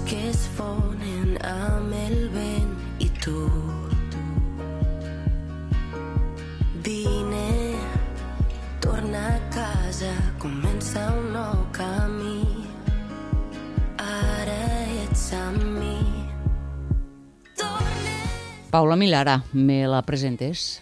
que es fonen amb el vent i tu. Vine, torna a casa, comença un nou camí. Ara ets amb mi. Paula Milara, me la presentes?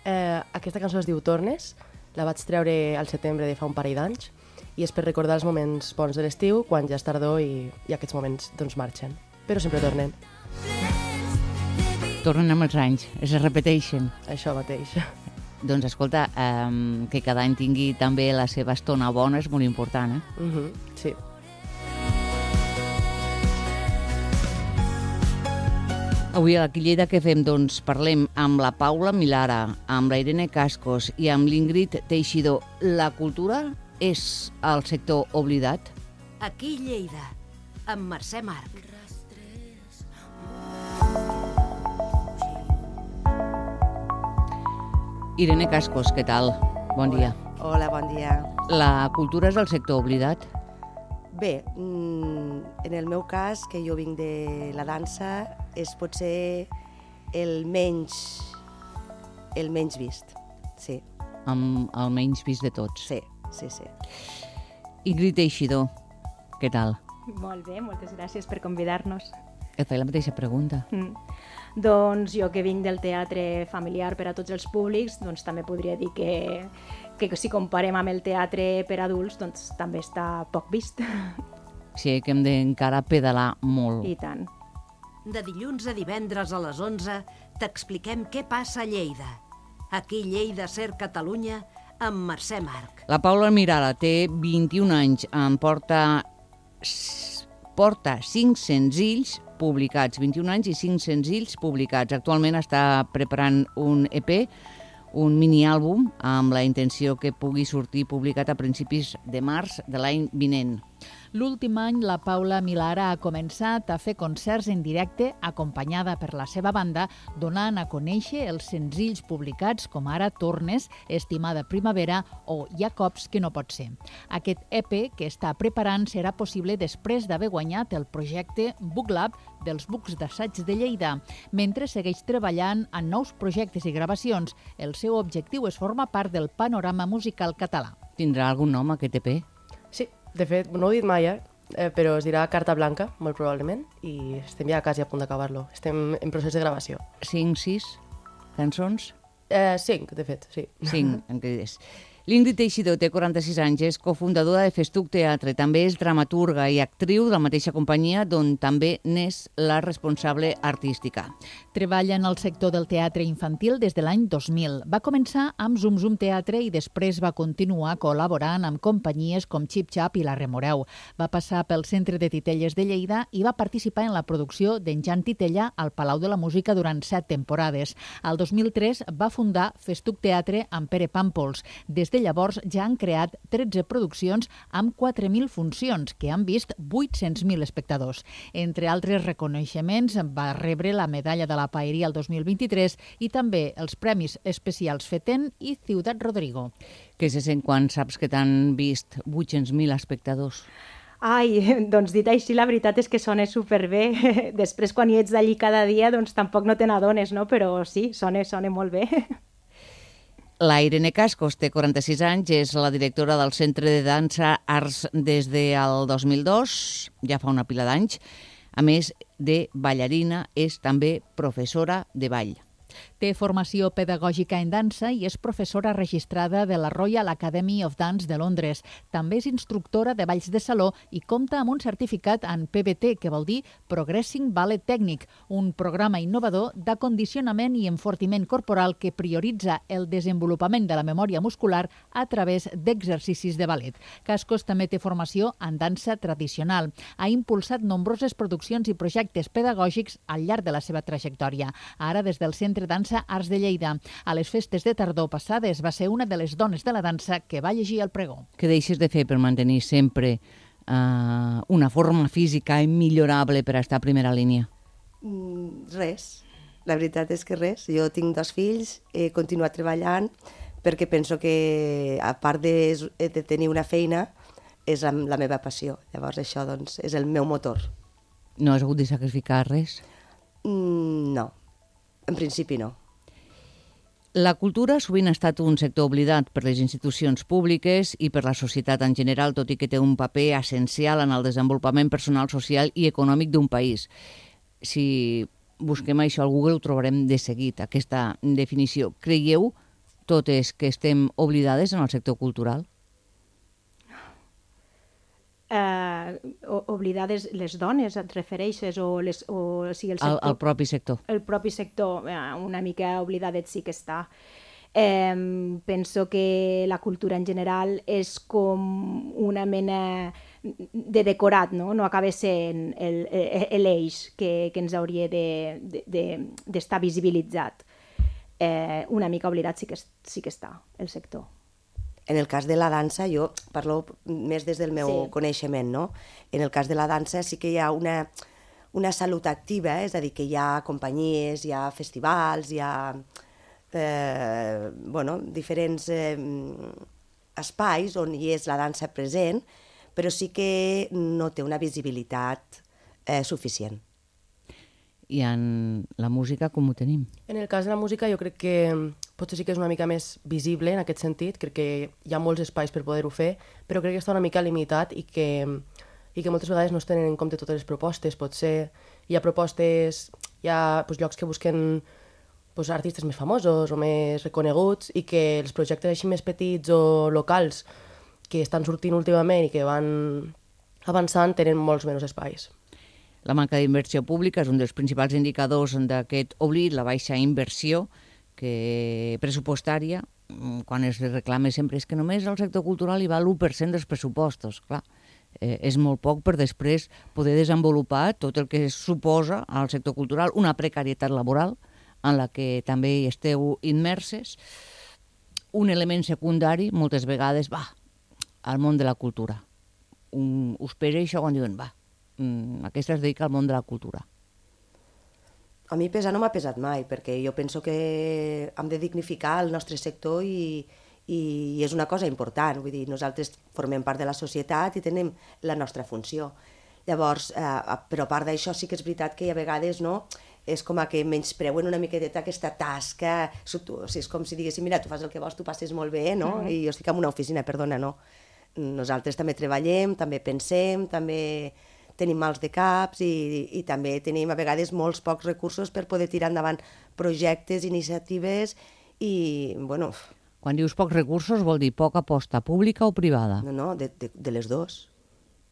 Aquesta cançó es diu Tornes, la vaig treure al setembre de fa un parell d'anys i és per recordar els moments bons de l'estiu, quan ja és tardor i aquests moments doncs marxen, però sempre tornen. Tornen amb els anys, es repeteixen. Això mateix. Doncs escolta, que cada any tingui també la seva estona bona és molt important, eh? Sí. Avui a Aquí Lleida què fem? Doncs parlem amb la Paula Milara, amb la Irene Cascos i amb l'Ingrid Teixidor. La cultura és el sector oblidat? Aquí Lleida, amb Mercè Marc. Irene Cascos, què tal? Bon dia. Hola, bon dia. La cultura és el sector oblidat? Bé, en el meu cas, que jo vinc de la dansa, és potser el menys vist, sí. Amb el menys vist de tots? Sí. Ingrid Teixidor, què tal? Molt bé, moltes gràcies per convidar-nos. Et faig la mateixa pregunta. Doncs jo que vinc del teatre familiar per a tots els públics, doncs també podria dir que si comparem amb el teatre per adults, doncs també està poc vist. Sí, que hem d'encara pedalar molt. I tant. De dilluns a divendres a les 11 t'expliquem què passa a Lleida. Aquí Lleida Ser Catalunya amb Mercè Marc. La Paula Milara té 21 anys, porta 5 senzills publicats, 21 anys i 5 senzills publicats. Actualment està preparant un EP, un miniàlbum, amb la intenció que pugui sortir publicat a principis de març de l'any vinent. L'últim any, la Paula Milara ha començat a fer concerts en directe acompanyada per la seva banda, donant a conèixer els senzills publicats com ara Tornes, Estimada Primavera o Hi ha cops que no pot ser. Aquest EP que està preparant serà possible després d'haver guanyat el projecte Book Lab dels Bucs d'Assaig de Lleida. Mentre segueix treballant en nous projectes i gravacions, el seu objectiu és formar part del panorama musical català. Tindrà algun nom aquest EP? Sí, de fet, no ho he dit mai, però es dirà Carta Blanca, molt probablement, i estem ja quasi a punt d'acabar-lo. Estem en procés de gravació. 5, 6 cançons? 5, de fet, sí. 5, en crides. L'Ingrid Teixidor té 46 anys, és cofundadora de Festuc Teatre, també és dramaturga i actriu de la mateixa companyia, d'on també n'és la responsable artística. Treballa en el sector del teatre infantil des de l'any 2000. Va començar amb Zum Zum Teatre i després va continuar col·laborant amb companyies com Xip Xap i La Remoreu. Va passar pel Centre de Titelles de Lleida i va participar en la producció d'en Jan Titella al Palau de la Música durant 7 temporades. Al 2003 va fundar Festuc Teatre amb Pere Pàmpols. Des de llavors ja han creat 13 produccions amb 4.000 funcions que han vist 800.000 espectadors. Entre altres reconeixements, va rebre la medalla de la Paeria el 2023 i també els Premis Especials FETEN i Ciutat Rodrigo. Què se sent quan saps que t'han vist 800.000 espectadors? Ai, doncs dit així, la veritat és que sona superbé. Després, quan hi ets d'allí cada dia, doncs tampoc no te n'adones, no? Però sí, sona molt bé. La Irene Cascos té 46 anys, és la directora del Centre de Dansa Arts des del 2002, ja fa una pila d'anys. A més de ballarina, és també professora de ball. Té formació pedagògica en dansa i és professora registrada de la Royal Academy of Dance de Londres. També és instructora de balls de saló i compta amb un certificat en PBT, que vol dir Progressing Ballet Technique, un programa innovador d'acondicionament i enfortiment corporal que prioritza el desenvolupament de la memòria muscular a través d'exercicis de ballet. Cascos també té formació en dansa tradicional. Ha impulsat nombroses produccions i projectes pedagògics al llarg de la seva trajectòria. Ara, des del Centre Dansa Arts de Lleida. A les festes de tardor passades va ser una de les dones de la dansa que va llegir el pregó. Què deixes de fer per mantenir sempre una forma física immillorable per estar a primera línia? Res. La veritat és que res. Jo tinc 2 fills, he continuat treballant perquè penso que, a part de tenir una feina, és la meva passió. Llavors això doncs, és el meu motor. No has hagut de sacrificar res? No, en principi no. La cultura sovint ha estat un sector oblidat per les institucions públiques i per la societat en general, tot i que té un paper essencial en el desenvolupament personal, social i econòmic d'un país. Si busquem això al Google ho trobarem de seguit, aquesta definició. Creieu totes que estem oblidades en el sector cultural? Oblidades les dones, et refereixes? O sigui, el sector, El propi sector. El propi sector, una mica oblidadet sí que està. Penso que la cultura en general és com una mena de decorat, no? No acaba sent l'eix que ens hauria d'estar visibilitzat. Una mica oblidat sí que està el sector. En el cas de la dansa, jo parlo més des del meu coneixement, no? En el cas de la dansa sí que hi ha una salut activa, és a dir, que hi ha companyies, hi ha festivals, hi ha diferents espais on hi és la dansa present, però sí que no té una visibilitat suficient. I en la música com ho tenim? En el cas de la música jo crec que potser sí que és una mica més visible en aquest sentit, crec que hi ha molts espais per poder-ho fer, però crec que està una mica limitat i que moltes vegades no es tenen en compte totes les propostes. Potser hi ha propostes, hi ha llocs que busquen artistes més famosos o més reconeguts i que els projectes així més petits o locals que estan sortint últimament i que van avançant tenen molts menys espais. La manca d'inversió pública és un dels principals indicadors d'aquest oblit, la baixa inversió pressupostària, quan es reclama sempre és que només al sector cultural hi va l'1% dels pressupostos. Clar, és molt poc per després poder desenvolupar tot el que suposa al sector cultural, una precarietat laboral en la que també hi esteu immerses, un element secundari, moltes vegades, al món de la cultura. Us pesa això quan diuen, aquesta es dedica al món de la cultura. A mi pesar no m'ha pesat mai, perquè jo penso que hem de dignificar el nostre sector i és una cosa important. Vull dir, nosaltres formem part de la societat i tenim la nostra funció. Llavors, però a part d'això sí que és veritat que a vegades no, és com que menyspreuen una miqueta aquesta tasca. És com si diguéssim, mira, tu fas el que vols, tu passes molt bé, no? I jo estic en una oficina, perdona, no. Nosaltres també treballem, també pensem, també tenim mals de caps i també tenim a vegades molts pocs recursos per poder tirar endavant projectes, iniciatives i, bueno... Quan dius pocs recursos vol dir poca aposta pública o privada? No, de les dues.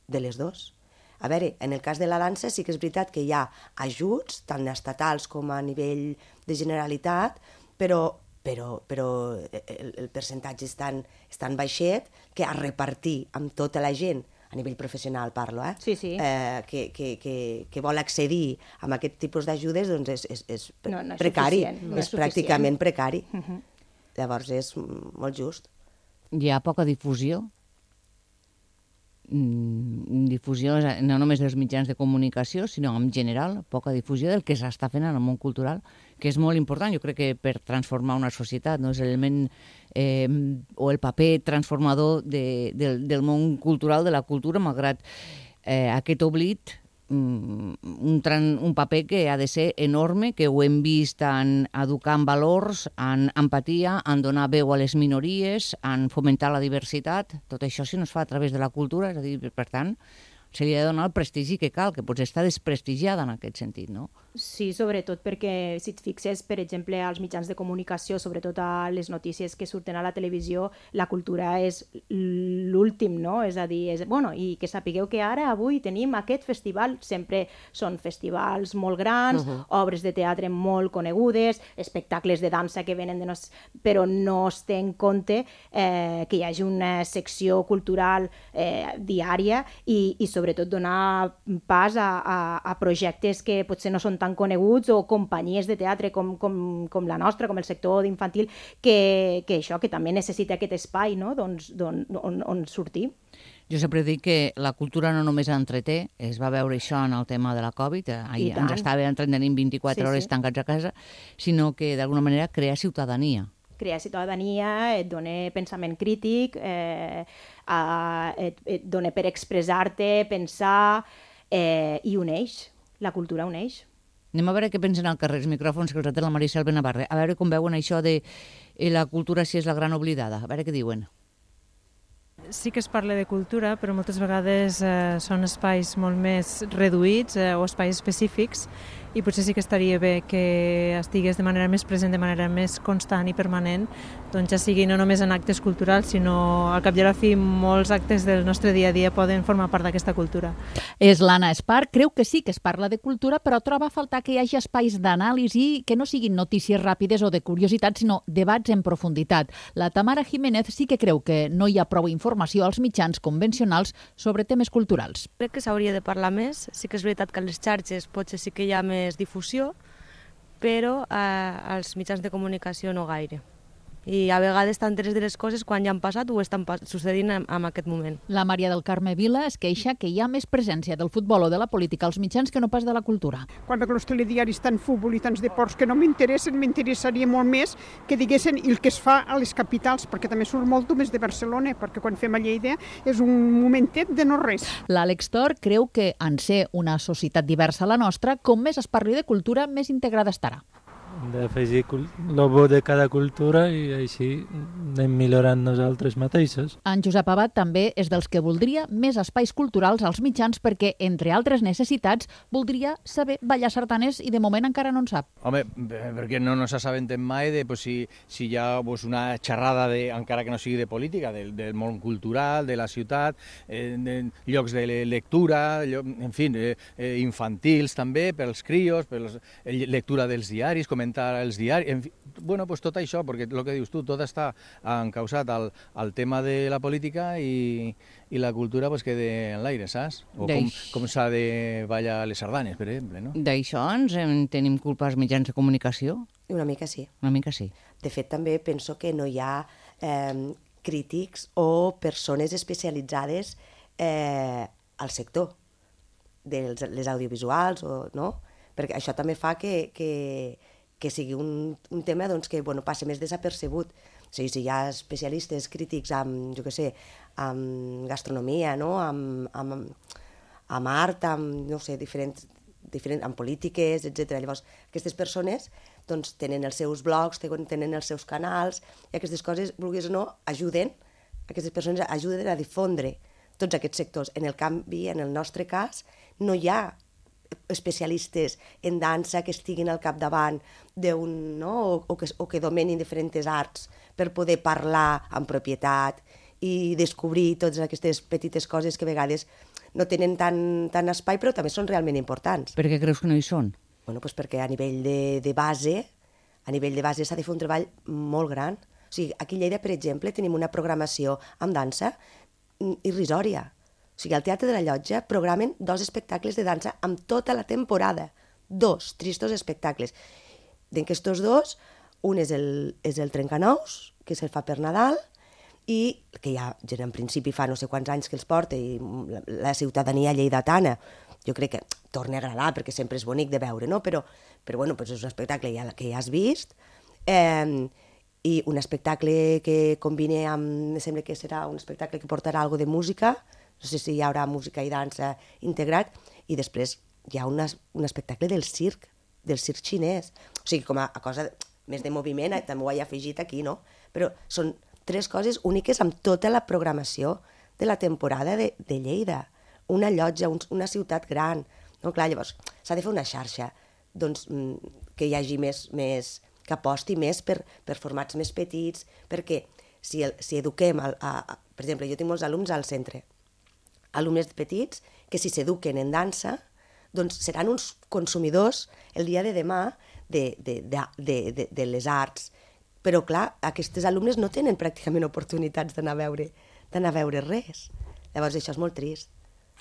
De les dues. A veure, en el cas de la dansa sí que és veritat que hi ha ajuts, tant estatals com a nivell de Generalitat, però el percentatge és tan baixet que a repartir amb tota la gent, a nivell professional parlo, Sí. Que vol accedir a aquest tipus d'ajudes, doncs és precari, és pràcticament precari. Llavors és molt just. Hi ha poca difusió? Difusió no només dels mitjans de comunicació, sinó en general, poca difusió del que s'està fent en el món cultural, que és molt important, jo crec que per transformar una societat, no? És l'element o el paper transformador del món cultural, de la cultura, malgrat aquest oblit, un paper que ha de ser enorme, que ho hem vist en educar en valors, en empatia, en donar veu a les minories, en fomentar la diversitat. Tot això si no es fa a través de la cultura, és a dir, per tant, se li ha de donar el prestigi que cal, que potser està desprestigiada en aquest sentit, no? Sí, sobretot perquè, si et fixes, per exemple, als mitjans de comunicació, sobretot a les notícies que surten a la televisió, la cultura és l'últim, no? És a dir, i que sapigueu que ara, avui, tenim aquest festival, sempre són festivals molt grans, obres de teatre molt conegudes, espectacles de dansa que venen però no es té en compte que hi hagi una secció cultural diària i sobretot donar pas a projectes que potser no són tan coneguts o companyies de teatre com la nostra, com el sector d'infantil, que això, que també necessita aquest espai, no? on sortir. Jo sempre dic que la cultura no només entreté, es va veure això en el tema de la Covid, ahir ens estava entretenint 24 hores tancats a casa, sinó que d'alguna manera crea ciutadania. Crear ciutadania, et dona pensament crític, et dona per expressar-te, pensar, i uneix, la cultura uneix. Anem a veure què pensen al carrer, els micròfons, que els té la Maricel Benavarre. A veure com veuen això de la cultura si és la gran oblidada. A veure què diuen. Sí que es parla de cultura, però moltes vegades són espais molt més reduïts o espais específics, i potser sí que estaria bé que estigués de manera més present, de manera més constant i permanent, doncs ja sigui no només en actes culturals, sinó al cap i a la fi molts actes del nostre dia a dia poden formar part d'aquesta cultura. És l'Anna Espar, creu que sí que es parla de cultura, però troba a faltar que hi hagi espais d'anàlisi que no siguin notícies ràpides o de curiositat, sinó debats en profunditat. La Tamara Jiménez sí que creu que no hi ha prou informació als mitjans convencionals sobre temes culturals. Crec que s'hauria de parlar més. Sí que és veritat que a les xarxes potser sí que hi ha més difusió, però als mitjans de comunicació no gaire. I a vegades t'enteres de les coses quan ja han passat o estan succeint en aquest moment. La Maria del Carme Vila es queixa que hi ha més presència del futbol o de la política als mitjans que no pas de la cultura. Quan veig els telediaris tant futbol i tants deports que no m'interessen, m'interessaria molt més que diguessin el que es fa a les capitals, perquè també surt molt més de Barcelona, perquè quan fem a Lleida és un momentet de no res. L'Àlex Tor creu que, en ser una societat diversa a la nostra, com més es parli de cultura, més integrada estarà. D'afegir el bo de cada cultura i així anem millorant nosaltres mateixos. En Josep Abad també és dels que voldria més espais culturals als mitjans perquè, entre altres necessitats, voldria saber ballar sardanes i de moment encara no en sap. Home, perquè no nos assabentem mai de si hi ha una xerrada, encara que no sigui de política, del món cultural, de la ciutat, de llocs de lectura, en fi, infantils també, pels crios, lectura dels diaris, comentar els diaris, bueno, pues tot això, perquè el que dius tu, tot està encausat al tema de la política i la cultura pues queda en l'aire, saps? O com s'ha de ballar les sardanes, per exemple, no? D'això ens tenim culpa als mitjans de comunicació? Una mica sí. Una mica sí. De fet, també penso que no hi ha crítics o persones especialitzades al sector de les audiovisuals, no? Perquè això també fa que sigui un tema que passi més desapercebut. O sigui, si hi ha especialistes crítics amb, jo què sé, amb gastronomia, no? amb art, amb, no sé, amb polítiques, etc. Llavors, aquestes persones tenen els seus blogs, tenen els seus canals, i aquestes coses, vulguis o no, aquestes persones ajuden a difondre tots aquests sectors. En el canvi, en el nostre cas, no hi ha especialistes en dansa que estiguin al capdavant d'un, no? o que domenin diferents arts per poder parlar amb propietat i descobrir totes aquestes petites coses que a vegades no tenen tant espai, però també són realment importants. Per què creus que no hi són? Bueno, doncs perquè a nivell de base s'ha de fer un treball molt gran. O sigui, aquí a Lleida, per exemple, tenim una programació amb dansa irrisòria. O sigui, al Teatre de la Llotja programen 2 espectacles de dansa amb tota la temporada. 2 tristos espectacles. D'aquestos 2, un és el Trencanous, que se'l fa per Nadal, i que ja en principi fa no sé quants anys que els porta, i la ciutadania lleidatana, jo crec que torna a agradar, perquè sempre és bonic de veure, no? Però bueno, és un espectacle que ja has vist, i un espectacle que combina amb, sembla que serà un espectacle que portarà alguna de música, no sé si hi haurà música i dansa integrat, i després hi ha un espectacle del circ xinès. O sigui, com a cosa més de moviment, també ho he afegit aquí, no? Però són 3 coses úniques amb tota la programació de la temporada de Lleida. Una llotja, una ciutat gran. No, clar, llavors, s'ha de fer una xarxa que hi hagi més que aposti més per formats més petits, perquè si eduquem, per exemple, jo tinc molts alumnes al centre, alumnes petits que si s'eduquen en dansa, doncs seran uns consumidors el dia de demà de les arts. Però, clar, aquests alumnes no tenen pràcticament oportunitats d'anar a veure res. Llavors, això és molt trist.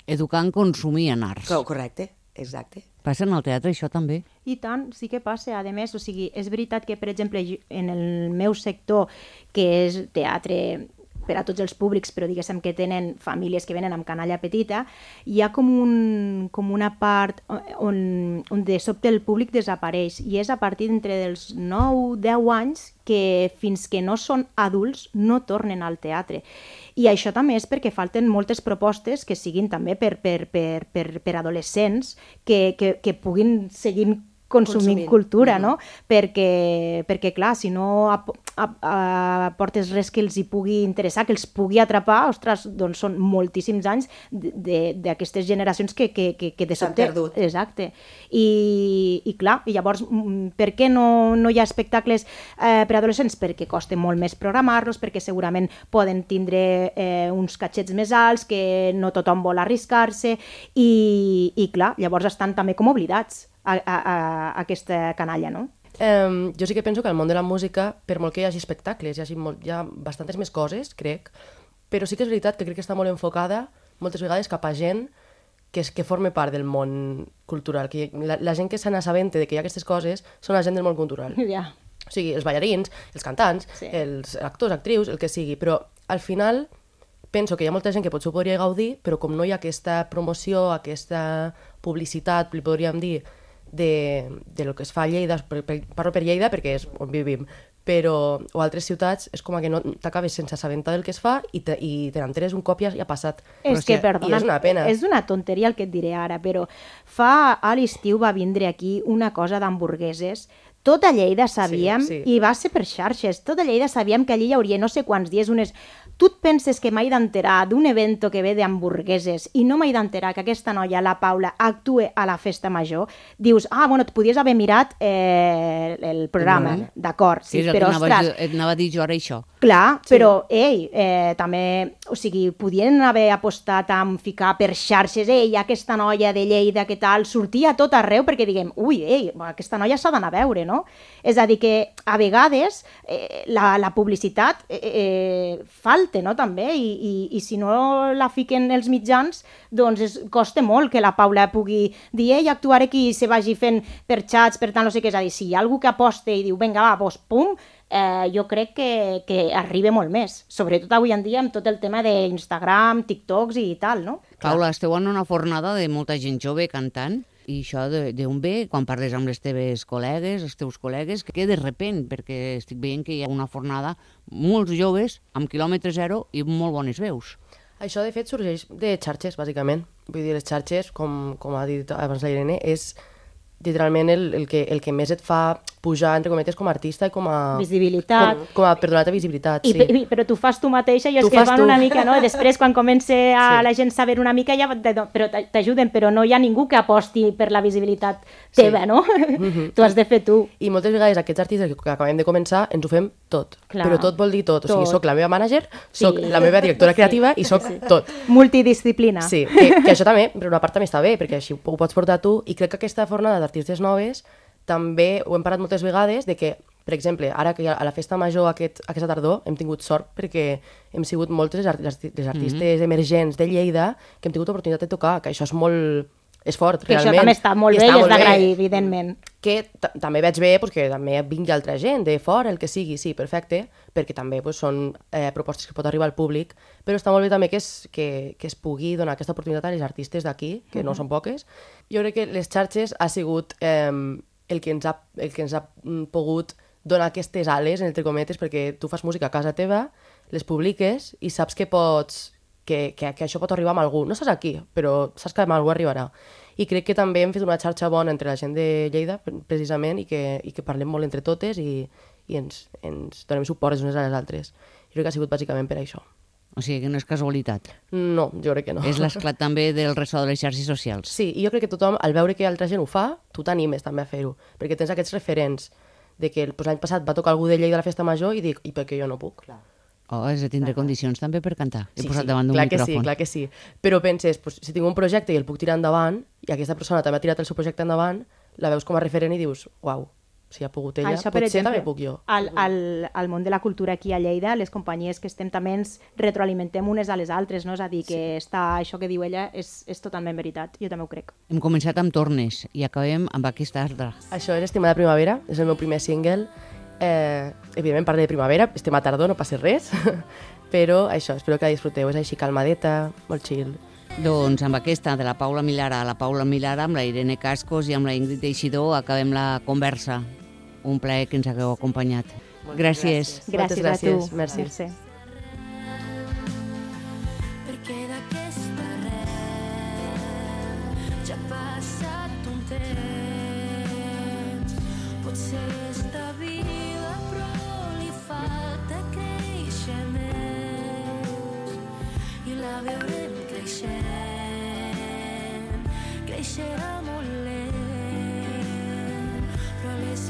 Educar en consumir en arts. Correcte, exacte. Passa en el teatre, això també? I tant, sí que passa. A més, o sigui, és veritat que, per exemple, en el meu sector, que és teatre per a tots els públics, però diguéssim que tenen famílies que venen amb canalla petita, hi ha com una part on de sobte el públic desapareix, i és a partir d'entre dels 9-10 anys que fins que no són adults no tornen al teatre. I això també és perquè falten moltes propostes que siguin també per adolescents que puguin seguir consumint cultura, no? Perquè, clar, si no aportes res que els hi pugui interessar, que els pugui atrapar, ostres, doncs són moltíssims anys d'aquestes generacions que de sobte... S'han perdut. Exacte. I clar, i llavors, per què no hi ha espectacles per adolescents? Perquè costa molt més programar-los, perquè segurament poden tindre uns catxets més alts, que no tothom vol arriscar-se, i clar, llavors estan també com oblidats a aquesta canalla, no? Jo sí que penso que al món de la música, per molt que hi hagi espectacles, hi ha bastantes més coses, crec, però sí que és veritat que crec que està molt enfocada moltes vegades cap a gent que forma part del món cultural, que la gent que se n'assabenta de que hi ha aquestes coses són la gent del món cultural. Ja. O sigui, els ballarins, els cantants, els actors, actrius, el que sigui, però al final penso que hi ha molta gent que potser ho podria gaudir, però com no hi ha aquesta promoció, aquesta publicitat, li podríem dir, de lo que es fa a Lleida, parlo per Lleida perquè és on vivim, però o altres ciutats és com que no t'acabes sense assabentar del que es fa i te n'enteres un cop i ja ha passat. És que, perdona, i és una pena. És una tonteria el que et diré ara, però a l'estiu va vindre aquí una cosa d'hamburgueses. Tota Lleida sabíem, i va ser per xarxes, tota Lleida sabíem que allí hi hauria no sé quants dies unes... Tu et penses que m'he d'enterar d'un evento que ve d'hamburgueses i no m'he d'enterar que aquesta noia, la Paula, actue a la festa major? Dius, bueno, et podies haver mirat el programa, d'acord, sí, però ostres... Anava a dir jo ara això. Clar, però, també, o sigui, podien haver apostat a ficar per xarxes, aquesta noia de Lleida, què tal, sortia a tot arreu perquè diguem, aquesta noia s'ha d'anar a veure, no? És a dir, que a vegades la publicitat falta, no, també, i si no la fiquen els mitjans, doncs costa molt que la Paula pugui dir, actuaré aquí i se vagi fent per xats, per tant, no sé què, és a dir, si hi ha algú que aposta i diu, vinga, va, doncs, pum, jo crec que arriba molt més, sobretot avui en dia amb tot el tema d'Instagram, TikToks i tal, no? Paula, esteu en una fornada de molta gent jove cantant, i això d'on ve, quan parles amb les teves col·legues, els teus col·legues, que de repent, perquè estic veient que hi ha una fornada, molts joves, amb quilòmetre zero i molt bones veus. Això, de fet, sorgeix de xarxes, bàsicament. Vull dir, les xarxes, com ha dit abans la Irene, és literalment el que més et fa pujar, entre cometes, com a artista i com a... Visibilitat. Per donar-te visibilitat, sí. Però tu fas tu mateixa i és que van una mica, no? Després, quan comença la gent saber una mica, ja t'ajuden, però no hi ha ningú que aposti per la visibilitat teva, no? Tu has de fer tu. I moltes vegades aquests artistes que acabem de començar ens ho fem tot. Però tot vol dir tot. O sigui, soc la meva mànager, soc la meva directora creativa i soc tot. Multidisciplina. Sí, que això també, per una part també està bé, perquè així ho pots portar tu, i crec que aquesta fornada d'artistes noves també ho hem parlat moltes vegades de que, per exemple, ara que a la festa major aquesta tardor hem tingut sort perquè hem sigut moltes les artistes emergents de Lleida que hem tingut l'oportunitat de tocar, que això és molt... és fort, que realment. Això també està molt bé i és d'agrair, evidentment. Que també veig bé que també vingui altra gent de fora, el que sigui, sí, perfecte, perquè també són propostes que pot arribar al públic, però està molt bé també que es pugui donar aquesta oportunitat a les artistes d'aquí, que no són poques. Jo crec que les xarxes ha sigut el que ens ha pogut donar aquestes ales, entre cometes, perquè tu fas música a casa teva, les publiques i saps que pots... que això pot arribar amb algú. No saps aquí, però saps que amb algú arribarà. I crec que també hem fet una xarxa bona entre la gent de Lleida, precisament, i que parlem molt entre totes i ens donem suport les unes a les altres. Jo crec que ha sigut bàsicament per això. O sigui que no és casualitat. No, jo crec que no. És l'esclat també del ressò de les xarxes socials. Sí, i jo crec que tothom, al veure que altra gent ho fa, tu t'animes també a fer-ho, perquè tens aquests referents de que l'any passat va tocar algú de Lleida a la festa major i dic, i per què jo no puc? Clar. Has de tindre condicions també per cantar. He posat davant d'un micròfon. Clar que sí. Però penses, si tinc un projecte i el puc tirar endavant, i aquesta persona també ha tirat el seu projecte endavant, la veus com a referent i dius, uau, si ha pogut ella, això, potser també puc jo. Al món de la cultura aquí a Lleida, les companyies que estem també ens retroalimentem unes a les altres, no? És a dir, que això que diu ella és totalment veritat, jo també ho crec. Hem començat amb Tornes i acabem amb aquesta altra. Això és Estimada Primavera, és el meu primer single. Evidentment parla de primavera, estem a tardor, no passa res. Però això, espero que la disfruteu. És així calmadeta, molt chill. Doncs amb aquesta de la Paula Milara, amb la Irene Cascos i amb la Ingrid Teixidor acabem la conversa. Un plaer que ens hagueu acompanyat. Gràcies. Moltes gràcies. Merci. Perquè d'aquesta arrel ja ha passat un temps. Potser està viva però li falta créixer més. I la veurem creixent, creixerà molt lent, però les